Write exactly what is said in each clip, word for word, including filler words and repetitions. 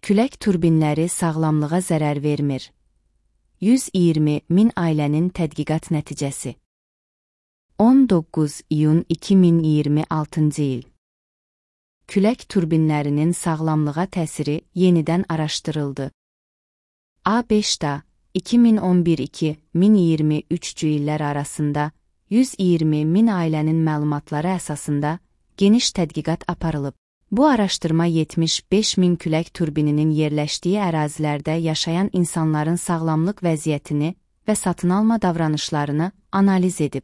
Külək turbinləri sağlamlığa zərər vermir. yüz iyirmi min ailənin tədqiqat nəticəsi. on doqquz iyun iki min iyirmi altıncı il. Külək turbinlərinin sağlamlığa təsiri yenidən araşdırıldı. A beşdə iki min on bir iki min iyirmi üçüncü illər arasında yüz iyirmi min ailənin məlumatları əsasında geniş tədqiqat aparılıb. Bu araşdırma yetmiş beş min külək turbininin yerləşdiyi ərazilərdə yaşayan insanların sağlamlıq vəziyyətini və satın alma davranışlarını analiz edib.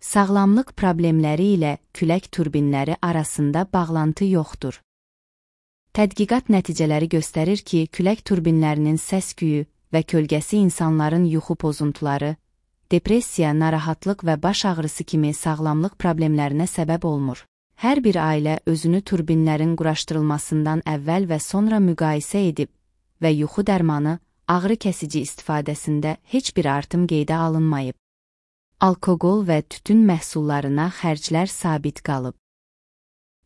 Sağlamlıq problemləri ilə külək turbinləri arasında bağlantı yoxdur. Tədqiqat nəticələri göstərir ki, külək turbinlərinin səs-küyü və kölgəsi insanların yuxu pozuntuları, depressiya, narahatlıq və baş ağrısı kimi sağlamlıq problemlərinə səbəb olmur. Hər bir ailə özünü turbinlərin quraşdırılmasından əvvəl və sonra müqayisə edib və yuxu dərmanı, ağrı kəsici istifadəsində heç bir artım qeydə alınmayıb. Alkoqol və tütün məhsullarına xərclər sabit qalıb.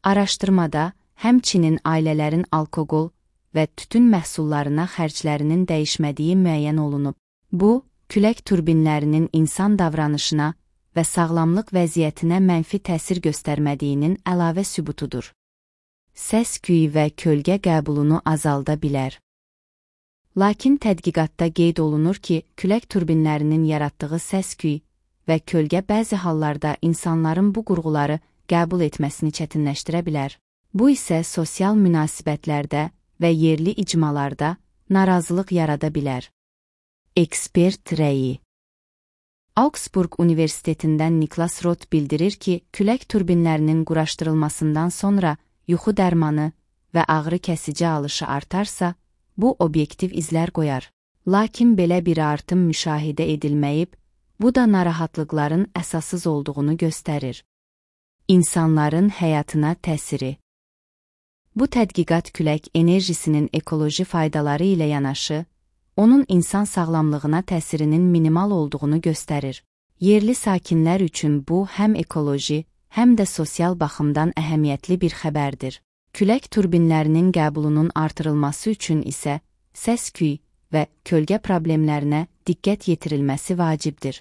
Araşdırmada həmçinin ailələrin alkoqol və tütün məhsullarına xərclərinin dəyişmədiyi müəyyən olunub. Bu, külək turbinlərinin insan davranışına və sağlamlıq vəziyyətinə mənfi təsir göstərmədiyinin əlavə sübutudur. Səs-küy və kölgə qəbulunu azalda bilər. Lakin tədqiqatda qeyd olunur ki, külək turbinlərinin yaratdığı səs-küy və kölgə bəzi hallarda insanların bu qurğuları qəbul etməsini çətinləşdirə bilər. Bu isə sosial münasibətlərdə və yerli icmalarda narazılıq yarada bilər. Ekspert rəyi. Augsburg Universitetindən Niklas Roth bildirir ki, külək turbinlərinin quraşdırılmasından sonra yuxu dərmanı və ağrı kəsici alışı artarsa, bu obyektiv izlər qoyar. Lakin belə bir artım müşahidə edilməyib, bu da narahatlıqların əsassız olduğunu göstərir. İnsanların həyatına təsiri. Bu tədqiqat külək enerjisinin ekoloji faydaları ilə yanaşı, onun insan sağlamlığına təsirinin minimal olduğunu göstərir. Yerli sakinlər üçün bu həm ekoloji, həm də sosial baxımdan əhəmiyyətli bir xəbərdir. Külək turbinlərinin qəbulunun artırılması üçün isə səs-küy və kölgə problemlərinə diqqət yetirilməsi vacibdir.